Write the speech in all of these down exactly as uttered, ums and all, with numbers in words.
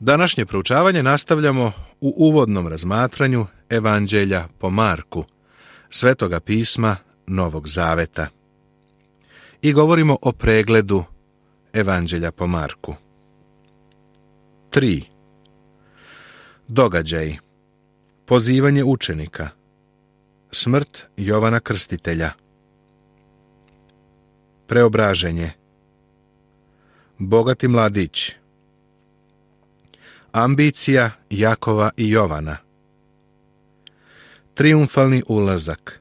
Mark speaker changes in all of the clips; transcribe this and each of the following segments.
Speaker 1: Današnje proučavanje nastavljamo u uvodnom razmatranju Evanđelja po Marku, Svetoga pisma Novog Zaveta. I govorimo o pregledu Evanđelja po Marku. tri. Događaji. Pozivanje učenika. Smrt Jovana Krstitelja. Preobraženje. Bogati mladić. Ambicija Jakova i Jovana. Trijumfalni ulazak.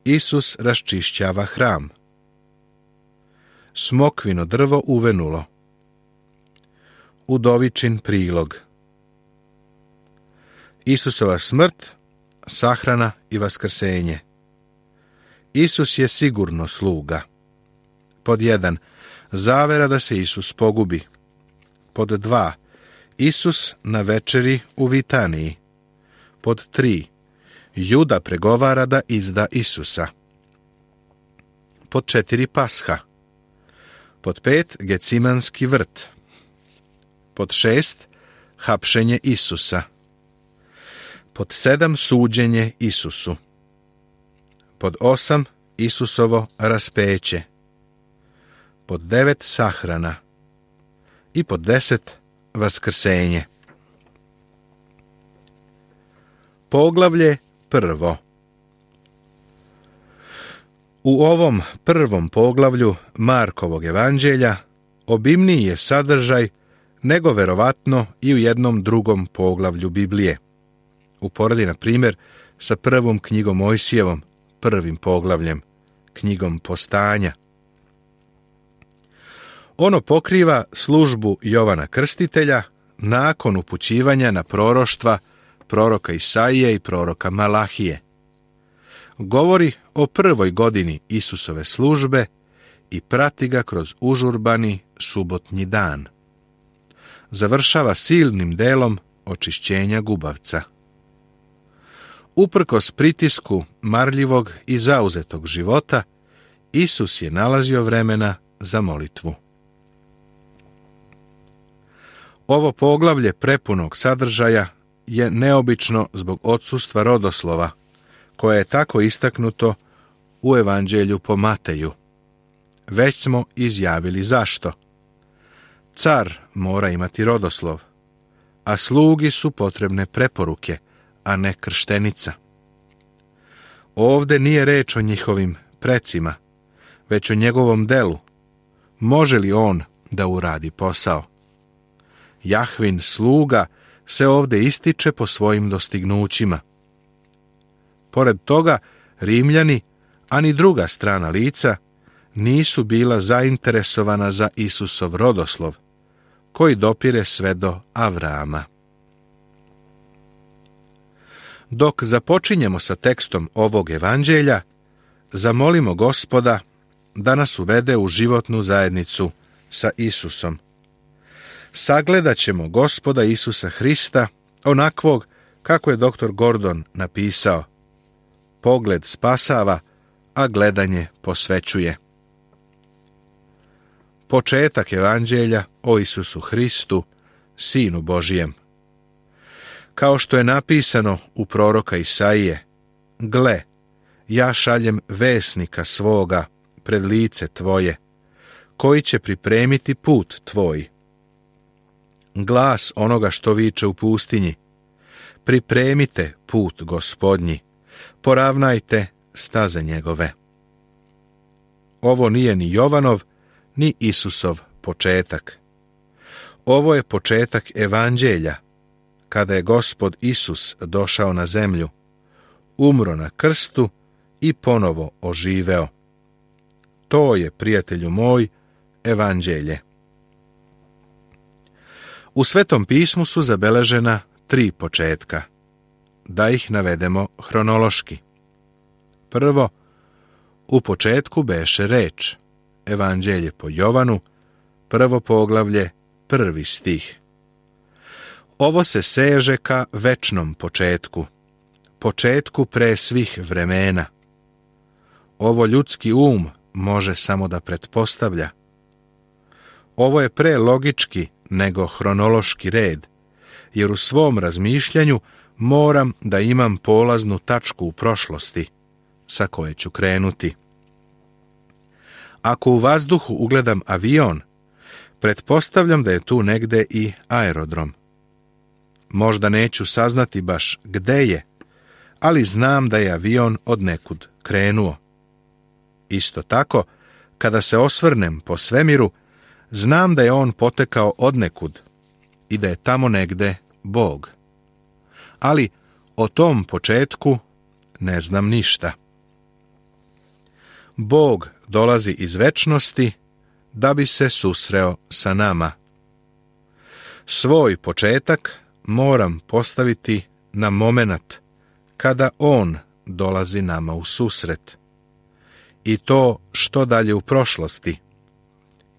Speaker 1: Isus raščišćava hram. Smokvino drvo uvenulo. Udovičin prilog. Isusova smrt, sahrana i vaskrsenje. Isus je sigurno sluga. Pod jedan. Zavera da se Isus pogubi. Pod dva. Isus na večeri u Vitaniji. Pod tri. Juda pregovara da izda Isusa. Pod četiri. Pasha. Pod pet. Gecimanski vrt. Pod šest. Hapšenje Isusa. Pod sedam. Suđenje Isusu. Pod osam. Isusovo raspeće. Pod devet. Sahrana. I pod deset. Vaskrsenje. Poglavlje prvo. U ovom prvom poglavlju Markovog evanđelja obimniji je sadržaj nego verovatno i u jednom drugom poglavlju Biblije. Uporedi, na primjer, sa prvom knjigom Mojsijevom, prvim poglavljem, knjigom Postanja. Ono pokriva službu Jovana Krstitelja nakon upućivanja na proroštva proroka Isaije i proroka Malahije. Govori o prvoj godini Isusove službe i prati ga kroz užurbani subotnji dan. Završava silnim delom očišćenja gubavca. Uprkos pritisku marljivog i zauzetog života, Isus je nalazio vremena za molitvu. Ovo poglavlje prepunog sadržaja je neobično zbog odsustva rodoslova, koje je tako istaknuto u Evanđelju po Mateju. Već smo izjavili zašto. Car mora imati rodoslov, a slugi su potrebne preporuke, a ne krštenica. Ovde nije reč o njihovim precima, već o njegovom delu. Može li on da uradi posao? Jahvin sluga se ovde ističe po svojim dostignućima. Pored toga, Rimljani, a ni druga strana lica, nisu bila zainteresovana za Isusov rodoslov, koji dopire sve do Avrama. Dok započinjemo sa tekstom ovog evanđelja, zamolimo Gospoda da nas uvede u životnu zajednicu sa Isusom. Sagledat ćemo Gospoda Isusa Hrista, onakvog kako je doktor Gordon napisao: pogled spasava, a gledanje posvećuje. Početak evanđelja o Isusu Hristu, Sinu Božijem. Kao što je napisano u proroka Isaije: gle, ja šaljem vesnika svoga pred lice tvoje, koji će pripremiti put tvoj. Glas onoga što viče u pustinji: pripremite put Gospodnji, poravnajte staze njegove. Ovo nije ni Jovanov, ni Isusov početak. Ovo je početak evanđelja, kada je Gospod Isus došao na zemlju, umro na krstu i ponovo oživeo. To je, prijatelju moj, evanđelje. U Svetom pismu su zabeležena tri početka. Da ih navedemo hronološki. Prvo, u početku beše reč, evanđelje po Jovanu, prvo poglavlje, prvi stih. Ovo se seže ka večnom početku, početku pre svih vremena. Ovo ljudski um može samo da pretpostavlja. Ovo je prelogički nego hronološki red, jer u svom razmišljanju moram da imam polaznu tačku u prošlosti, sa koje ću krenuti. Ako u vazduhu ugledam avion, pretpostavljam da je tu negde i aerodrom. Možda neću saznati baš gde je, ali znam da je avion od nekud krenuo. Isto tako, kada se osvrnem po svemiru, znam da je on potekao od nekud i da je tamo negde Bog. Ali o tom početku ne znam ništa. Bog dolazi iz večnosti da bi se susreo sa nama. Svoj početak moram postaviti na momenat kada on dolazi nama u susret. I to što dalje u prošlosti.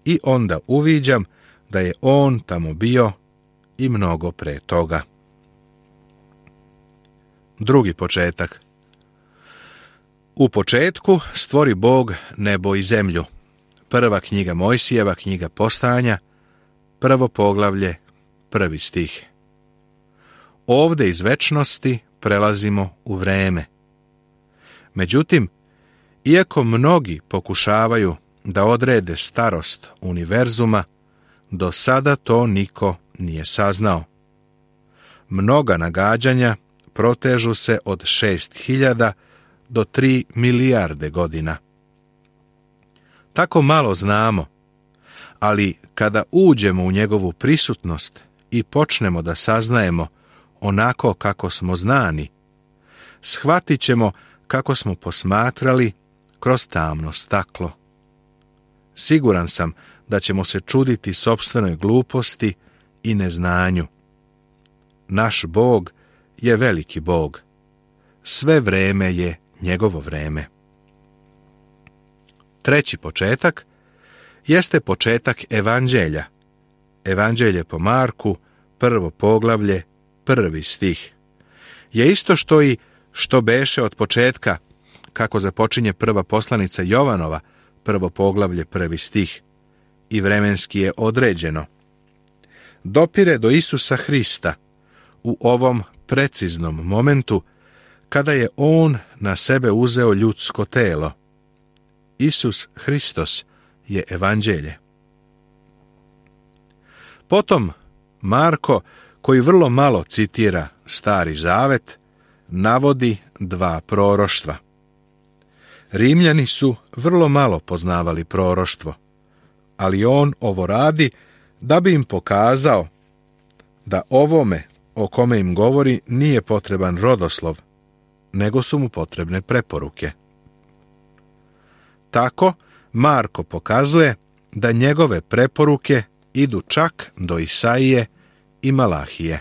Speaker 1: I onda uviđam da je on tamo bio i mnogo pre toga. Drugi početak. U početku stvori Bog nebo i zemlju. Prva knjiga Mojsijeva, knjiga Postanja, prvo poglavlje, prvi stih. Ovde iz večnosti prelazimo u vreme. Međutim, iako mnogi pokušavaju da odrede starost univerzuma, do sada to niko nije saznao. Mnoga nagađanja protežu se od šest hiljada do tri milijarde godina. Tako malo znamo, ali kada uđemo u njegovu prisutnost i počnemo da saznajemo onako kako smo znani, shvatit ćemo kako smo posmatrali kroz tamno staklo. Siguran sam da ćemo se čuditi sopstvenoj gluposti i neznanju. Naš Bog je veliki Bog. Sve vreme je njegovo vreme. Treći početak jeste početak evanđelja. Evanđelje po Marku, prvo poglavlje, prvi stih. Je isto što i što beše od početka, kako započinje prva poslanica Jovanova, prvo poglavlje, prvi stih. I vremenski je određeno. Dopire do Isusa Hrista u ovom preciznom momentu kada je on na sebe uzeo ljudsko telo. Isus Hristos je evanđelje. Potom Marko, koji vrlo malo citira Stari Zavet, navodi dva proroštva. Rimljani su vrlo malo poznavali proroštvo, ali on ovo radi da bi im pokazao da ovome o kome im govori nije potreban rodoslov, nego su mu potrebne preporuke. Tako Marko pokazuje da njegove preporuke idu čak do Isaije i Malahije.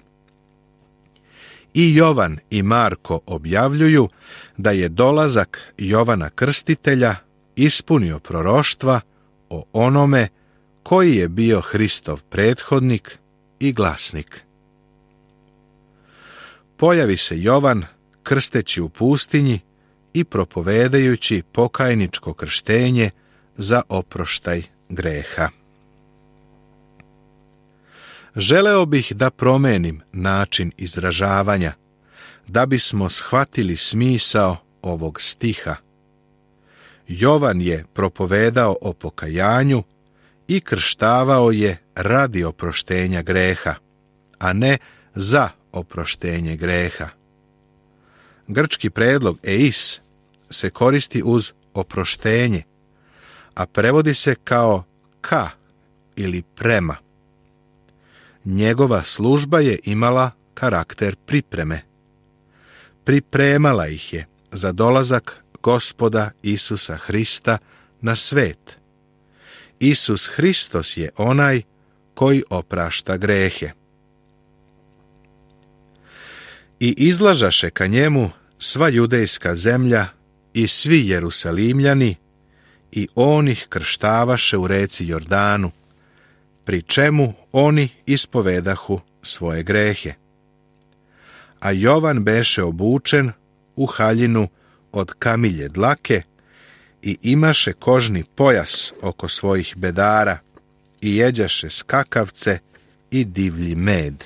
Speaker 1: I Jovan i Marko objavljuju da je dolazak Jovana Krstitelja ispunio proroštva o onome koji je bio Hristov prethodnik i glasnik. Pojavi se Jovan krsteći u pustinji i propovedajući pokajničko krštenje za oproštaj greha. Želeo bih da promenim način izražavanja, da bismo shvatili smisao ovog stiha. Jovan je propovedao o pokajanju i krštavao je radi oproštenja greha, a ne za oproštenje greha. Grčki predlog eis se koristi uz oproštenje, a prevodi se kao ka ili prema. Njegova služba je imala karakter pripreme. Pripremala ih je za dolazak Gospoda Isusa Hrista na svet. Isus Hristos je onaj koji oprašta grehe. I izlažaše ka njemu sva judejska zemlja i svi Jerusalimljani, i on ih krštavaše u reci Jordanu, pri čemu oni ispovedahu svoje grehe. A Jovan beše obučen u haljinu od kamilje dlake i imaše kožni pojas oko svojih bedara i jeđaše skakavce i divlji med.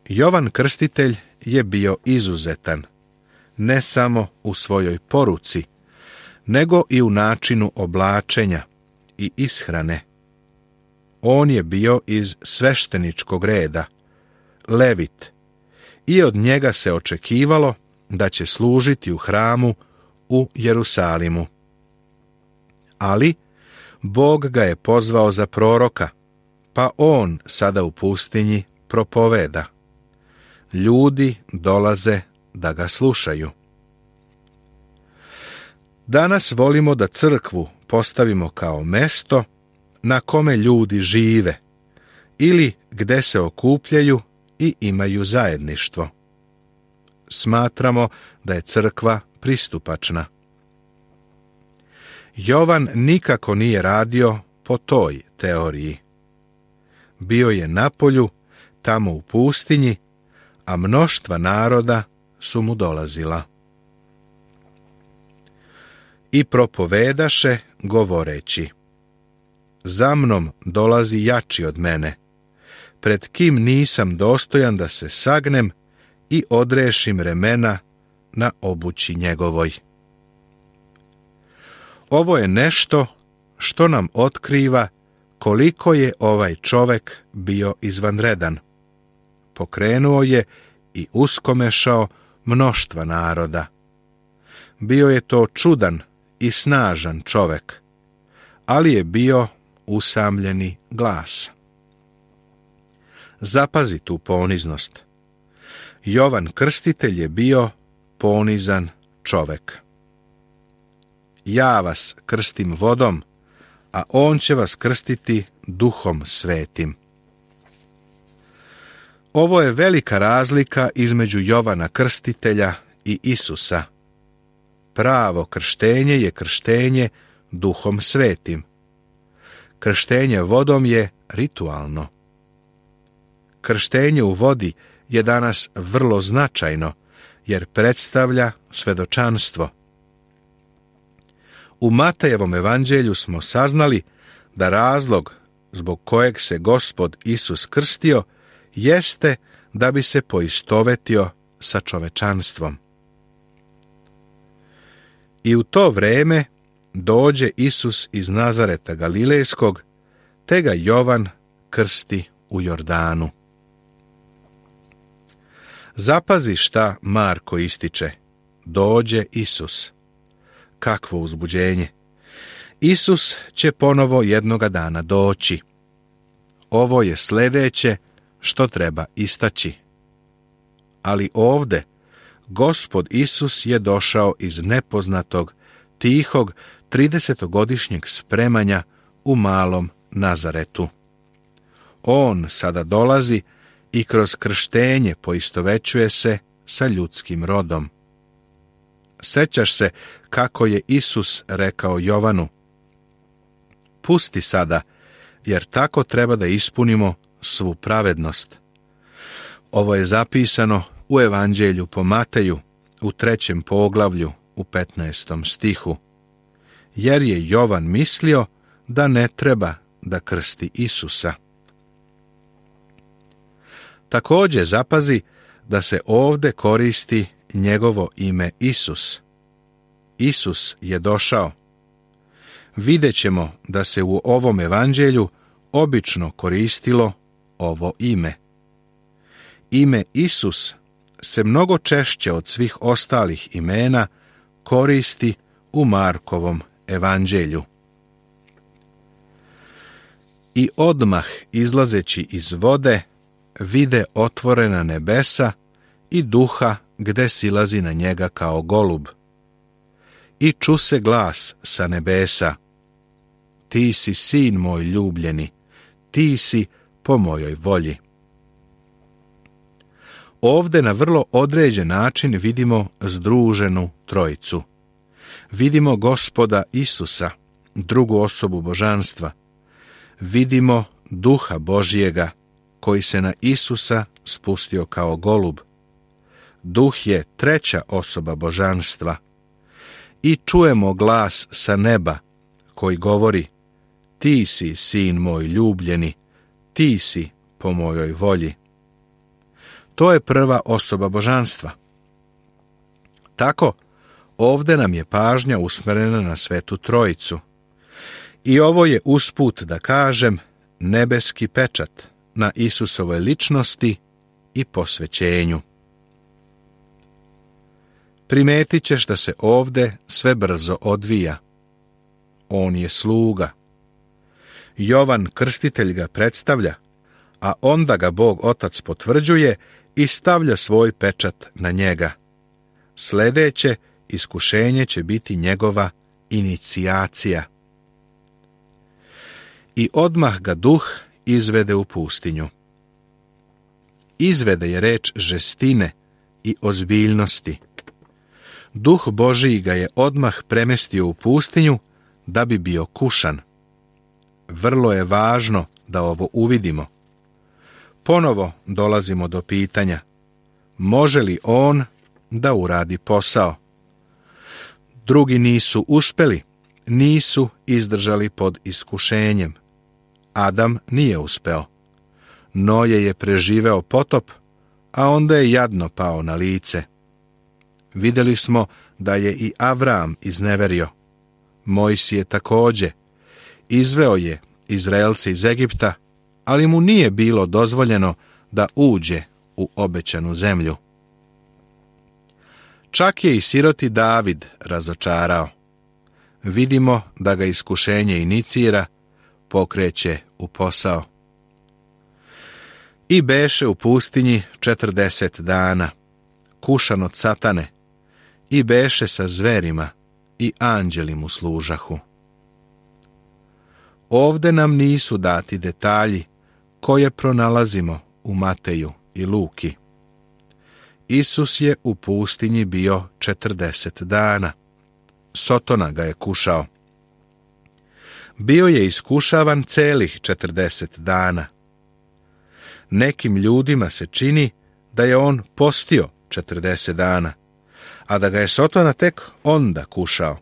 Speaker 1: Jovan Krstitelj je bio izuzetan, ne samo u svojoj poruci, nego i u načinu oblačenja i ishrane. On je bio iz svešteničkog reda, Levit, i od njega se očekivalo da će služiti u hramu u Jerusalimu. Ali Bog ga je pozvao za proroka, pa on sada u pustinji propoveda. Ljudi dolaze da ga slušaju. Danas volimo da crkvu postavimo kao mesto na kome ljudi žive ili gde se okupljaju i imaju zajedništvo. Smatramo da je crkva pristupačna. Jovan nikako nije radio po toj teoriji. Bio je na polju, tamo u pustinji, a mnoštva naroda su mu dolazila. I propovedaše govoreći: za mnom dolazi jači od mene, pred kim nisam dostojan da se sagnem i odrešim remena na obući njegovoj. Ovo je nešto što nam otkriva koliko je ovaj čovek bio izvanredan. Pokrenuo je i uskomešao mnoštva naroda. Bio je to čudan i snažan čovek, ali je bio usamljeni glas. Zapazi tu poniznost. Jovan Krstitelj je bio ponizan čovek. Ja vas krstim vodom, a on će vas krstiti Duhom Svetim. Ovo je velika razlika između Jovana Krstitelja i Isusa. Pravo krštenje je krštenje Duhom Svetim. Krštenje vodom je ritualno. Krštenje u vodi je danas vrlo značajno, jer predstavlja svedočanstvo. U Matejevom evanđelju smo saznali da razlog zbog kojeg se Gospod Isus krstio jeste da bi se poistovetio sa čovečanstvom. I u to vreme dođe Isus iz Nazareta Galilejskog, te ga Jovan krsti u Jordanu. Zapazi šta Marko ističe: dođe Isus. Kakvo uzbuđenje! Isus će ponovo jednoga dana doći. Ovo je sljedeće što treba istaći. Ali ovde Gospod Isus je došao iz nepoznatog, tihog, tridesetogodišnjeg spremanja u malom Nazaretu. On sada dolazi i kroz krštenje poistovećuje se sa ljudskim rodom. Sećaš se kako je Isus rekao Jovanu: pusti sada, jer tako treba da ispunimo svu pravednost. Ovo je zapisano u Evanđelju po Mateju, u trećem poglavlju, u petnaestom stihu. Jer je Jovan mislio da ne treba da krsti Isusa. Također zapazi da se ovde koristi njegovo ime Isus. Isus je došao. Vidjet ćemo da se u ovom evanđelju obično koristilo ovo ime. Ime Isus se mnogo češće od svih ostalih imena koristi u Markovom evanđelju. I odmah izlazeći iz vode vide otvorena nebesa i duha gde silazi na njega kao golub. I ču se glas sa nebesa: ti si sin moj ljubljeni, ti si po mojoj volji. Ovde na vrlo određen način vidimo združenu trojicu. Vidimo Gospoda Isusa, drugu osobu božanstva. Vidimo Duha Božjega, koji se na Isusa spustio kao golub. Duh je treća osoba božanstva. I čujemo glas sa neba, koji govori: ti si, sin moj ljubljeni, ti si po mojoj volji. To je prva osoba božanstva. Tako, ovdje nam je pažnja usmjerena na Svetu Trojicu. I ovo je usput, da kažem, nebeski pečat na Isusovoj ličnosti i posvećenju. Primetit ćeš da se ovdje sve brzo odvija. On je sluga. Jovan Krstitelj ga predstavlja, a onda ga Bog Otac potvrđuje i stavlja svoj pečat na njega. Sljedeće iskušenje će biti njegova inicijacija. I odmah ga duh izvede u pustinju. Izvede je reč žestine i ozbiljnosti. Duh Božiji ga je odmah premestio u pustinju da bi bio kušan. Vrlo je važno da ovo uvidimo. Ponovo dolazimo do pitanja: može li on da uradi posao? Drugi nisu uspjeli, nisu izdržali pod iskušenjem. Adam nije uspeo. Noje je preživeo potop, a onda je jadno pao na lice. Vidjeli smo da je i Avram izneverio. Mojsije također. Izveo je Izraelce iz Egipta, ali mu nije bilo dozvoljeno da uđe u obećanu zemlju. Čak je i siroti David razočarao. Vidimo da ga iskušenje inicira, pokreće u posao. I beše u pustinji četrdeset dana, kušan od satane, i beše sa zverima, i anđeli mu služahu. Ovde nam nisu dati detalji koje pronalazimo u Mateju i Luki. Isus je u pustinji bio četrdeset dana. Sotona ga je kušao. Bio je iskušavan celih četrdeset dana. Nekim ljudima se čini da je on postio četrdeset dana, a da ga je Sotona tek onda kušao.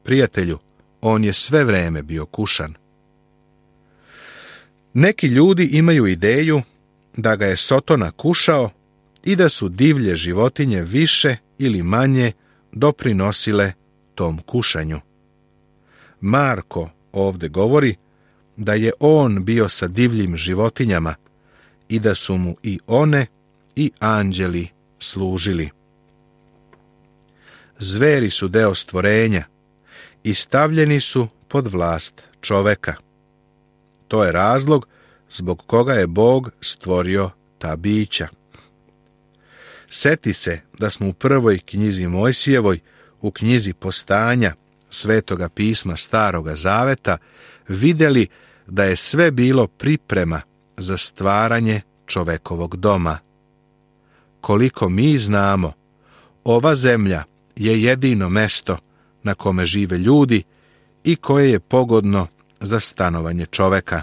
Speaker 1: Prijatelju, on je sve vreme bio kušan. Neki ljudi imaju ideju da ga je Sotona kušao i da su divlje životinje više ili manje doprinosile tom kušanju. Marko ovdje govori da je on bio sa divljim životinjama i da su mu i one i anđeli služili. Zveri su deo stvorenja i stavljeni su pod vlast čoveka. To je razlog zbog koga je Bog stvorio ta bića. Seti se da smo u prvoj knjizi Mojsijevoj, u knjizi Postanja Svetoga pisma Staroga Zaveta, vidjeli da je sve bilo priprema za stvaranje čovekovog doma. Koliko mi znamo, ova zemlja je jedino mesto na kome žive ljudi i koje je pogodno za stanovanje čoveka.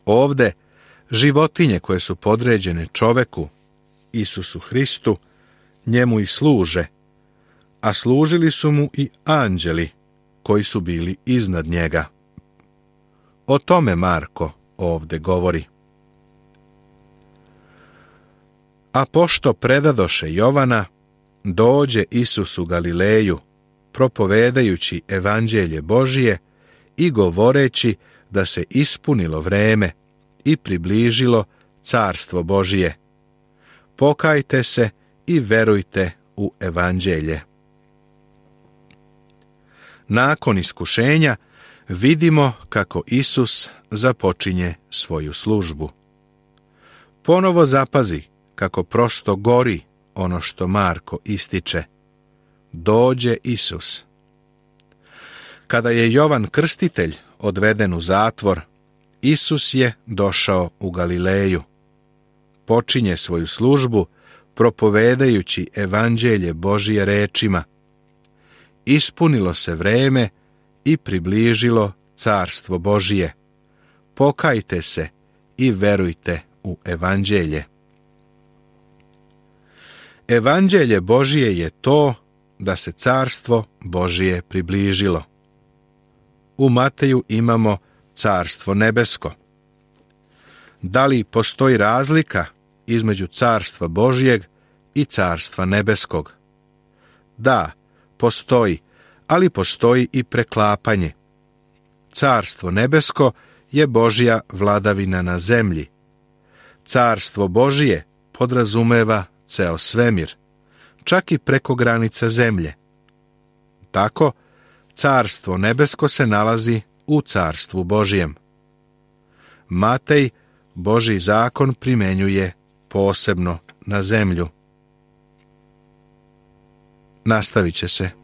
Speaker 1: Ovde životinje koje su podređene čoveku, Isusu Hristu, njemu i služe, a služili su mu i anđeli koji su bili iznad njega. O tome Marko ovde govori. A pošto predadoše Jovana, dođe Isus u Galileju, propovedajući evanđelje Božije i govoreći da se ispunilo vreme i približilo carstvo Božije. Pokajte se i verujte u evanđelje. Nakon iskušenja vidimo kako Isus započinje svoju službu. Ponovo zapazi kako prosto gori ono što Marko ističe. Dođe Isus. Kada je Jovan Krstitelj odveden u zatvor, Isus je došao u Galileju. Počinje svoju službu propovedajući evanđelje Božije rečima: ispunilo se vreme i približilo carstvo Božije. Pokajte se i verujte u evanđelje. Evanđelje Božije je to da se carstvo Božije približilo. u Mateju imamo carstvo nebesko. Da li postoji razlika između carstva Božjeg i carstva nebeskog? Da, postoji, ali postoji i preklapanje. Carstvo nebesko je Božja vladavina na zemlji. Carstvo Božije podrazumeva ceo svemir, čak i preko granica zemlje. Tako, carstvo nebesko se nalazi u carstvu Božijem. Matej Božji zakon primenjuje posebno na zemlju. Nastavit će se.